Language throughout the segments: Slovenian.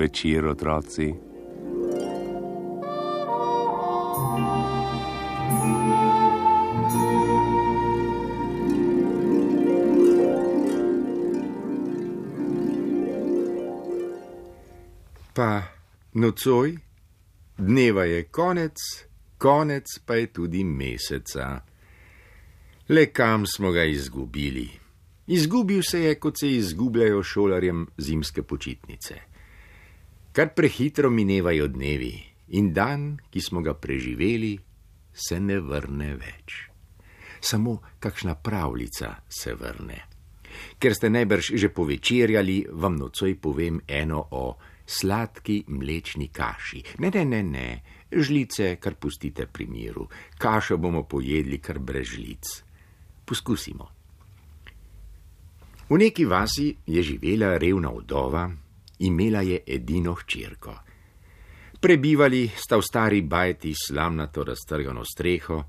večer, otroci. Pa nocoj, dneva je konec, konec pa je tudi meseca. Le kam smo ga izgubili? Izgubil se je, kot se izgubljajo šolarjem zimske počitnice. Kar prehitro minevajo dnevi in dan, ki smo ga preživeli, se ne vrne več. Samo kakšna pravljica se vrne. Ker ste najbrž že povečerjali, vam nocoj povem eno o sladki mlečni kaši. Ne, žlice kar pustite pri miru. Kašo bomo pojedli kar brez žlic. Poskusimo. V neki vasi je živela revna vdova, imela je edino hčerko. Prebivali sta v stari bajti slamnato raztrgano streho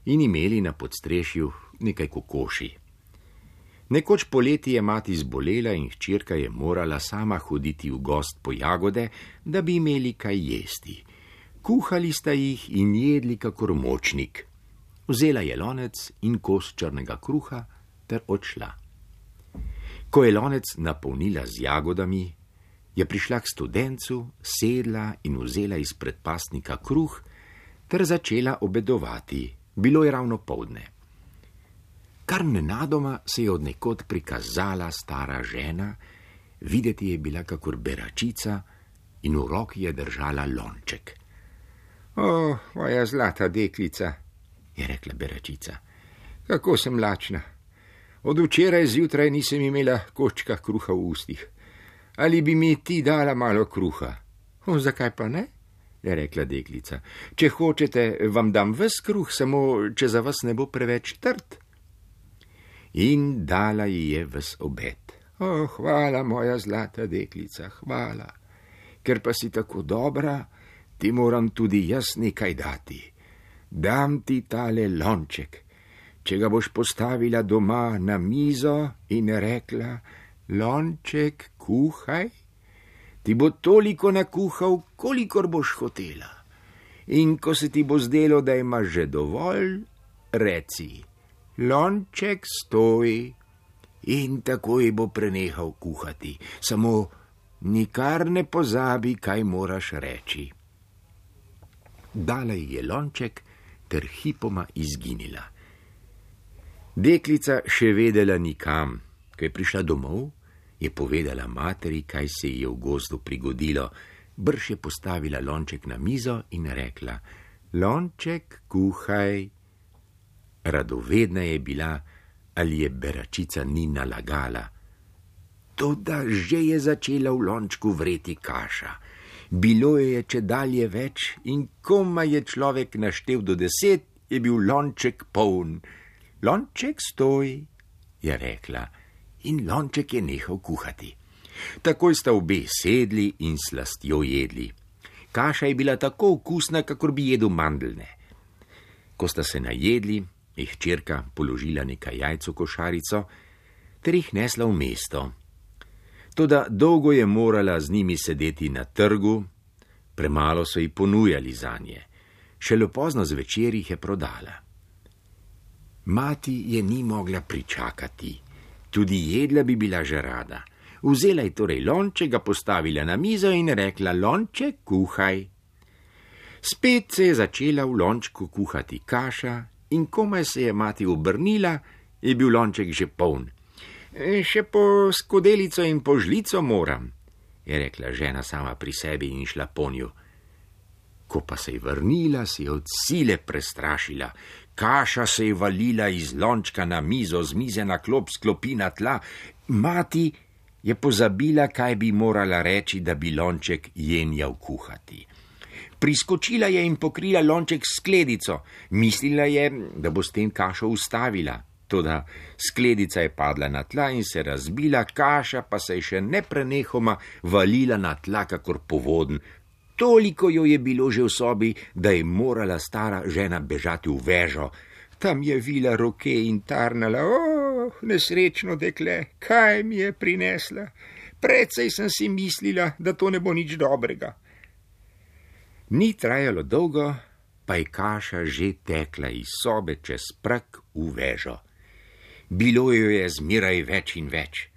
in imeli na podstrešju nekaj kokoši. Nekoč poleti je mati zbolela in hčerka je morala sama hoditi v gost po jagode, da bi imeli kaj jesti. Kuhali sta jih in jedli kakor močnik. Vzela je lonec in kos črnega kruha ter odšla. Ko je lonec napolnila z jagodami, je prišla k studencu, sedla in vzela iz predpasnika kruh ter začela obedovati. Bilo je ravno poldne. Kar nenadoma se je od nekod prikazala stara žena, videti je bila kakor beračica in v roki je držala lonček. O, moja zlata deklica, je rekla beračica, kako sem lačna. Od včeraj zjutraj nisem imela kočka kruha v ustih. Ali bi mi ti dala malo kruha? O, zakaj pa ne? Je rekla deklica. Če hočete, vam dam ves kruh, samo če za vas ne bo preveč trd. In dala ji je ves obed. O, hvala, moja zlata deklica, hvala. Ker pa si tako dobra, ti moram tudi jaz nekaj dati. Dam ti tale lonček. Če ga boš postavila doma na mizo in rekla, lonček, kuhaj, ti bo toliko nakuhal, kolikor boš hotela. In ko se ti bo zdelo, da imaš že dovolj, reci, lonček, stoj, in takoj bo prenehal kuhati. Samo nikar ne pozabi, kaj moraš reči. Dala ji je lonček ter hipoma izginila. Deklica še vedela nikam. Ko je prišla domov, je povedala materi, kaj se ji je v gozdu prigodilo. Brž je postavila lonček na mizo in rekla, lonček, kuhaj. Radovedna je bila, ali je beračica ni nalagala. Toda že je začela v lončku vreti kaša. Bilo je čedalje več in komaj je človek naštel do 10, je bil lonček poln. Lonček, stoj, je rekla, in lonček je nehal kuhati. Takoj sta obe sedli in slastjo jedli. Kaša je bila tako okusna, kakor bi jedel mandeljne. Ko sta se najedli, je hčerka položila nekaj jajc v košarico ter jih nesla v mesto. Toda dolgo je morala z njimi sedeti na trgu, premalo so ji ponujali zanje. Šele pozno zvečer jih je prodala. Mati je ni mogla pričakati, tudi jedla bi bila že rada. Vzela je torej lonček, ga postavila na mizo in rekla, lonček, kuhaj. Spet se je začela v lončku kuhati kaša in komaj se je mati obrnila, je bil lonček že poln. Še po skodelico in po žlico moram, je rekla žena sama pri sebi in šla ponju. Ko pa se je vrnila, se je od sile prestrašila. Kaša se je valila iz lončka na mizo, z mize na klop, s klopi na tla. Mati je pozabila, kaj bi morala reči, da bi lonček jenjal kuhati. Priskočila je in pokrila lonček s skledico. Mislila je, da bo s tem kašo ustavila. Toda skledica je padla na tla in se razbila, kaša pa se je še neprenehoma valila na tla, kakor povoden. Toliko jo je bilo že v sobi, da je morala stara žena bežati v vežo. Tam je vila roke in tarnala, nesrečno dekle, kaj mi je prinesla? Precej sem si mislila, da to ne bo nič dobrega. Ni trajalo dolgo, pa je kaša že tekla iz sobe čez prag v vežo. Bilo jo je zmeraj več in več.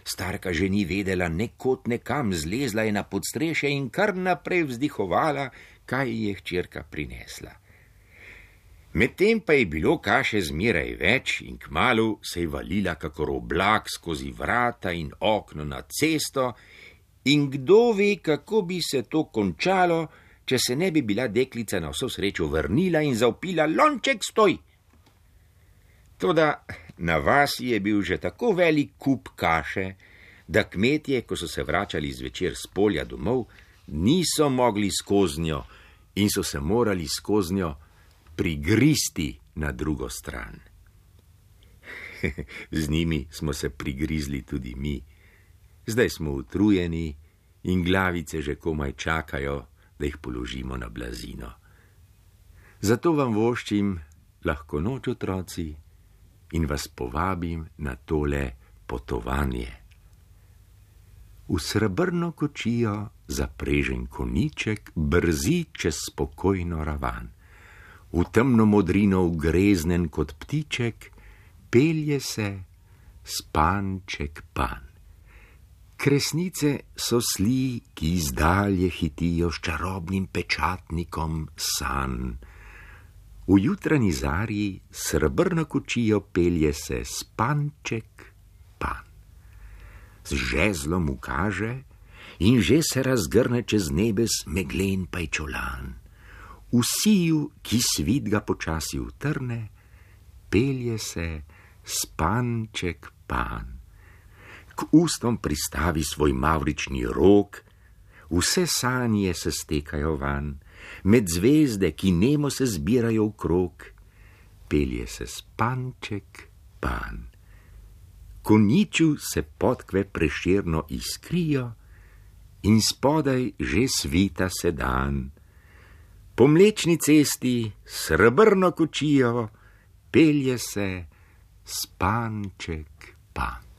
Starka že ni vedela nekod nekam, zlezla je na podstrešje in kar naprej vzdihovala, kaj je hčerka prinesla. Medtem pa je bilo kaše zmeraj več in kmalu se je valila kakor oblak skozi vrata in okno na cesto in kdo ve, kako bi se to končalo, če se ne bi bila deklica na vso srečo vrnila in zavpila: Lonček, stoj! Toda na vasi je bil že tako velik kup kaše, da kmetje, ko so se vračali zvečer s polja domov, niso mogli skoznjo in so se morali skoznjo prigristi na drugo stran. Z njimi smo se prigrizli tudi mi. Zdaj smo utrujeni in glavice že komaj čakajo, da jih položimo na blazino. Zato vam voščim lahko noč, otroci, in vas povabim na tole potovanje. V srebrno kočijo zaprežen konjiček brzi čez spokojno ravan. V temno modrino ugreznen kot ptiček pelje se spanček pan. Kresnice so sli, ki izdalje hitijo s čarobnim pečatnikom sanj. V jutranji zarji srebrno kočijo pelje se spanček pan. Z žezlom ukaže in že se razgrne čez nebes meglen pajčolan. V siju, ki svit ga počasi utrne, pelje se spanček pan. K ustom pristavi svoj mavrični rog, vse sanje se stekajo van, med zvezde, ki nemo se zbirajo v krog, pelje se spanček pan. Konjiču se podkve prešerno iskrijo in spodaj že svita se dan. Po mlečni cesti srebrno kočijo pelje se spanček pan.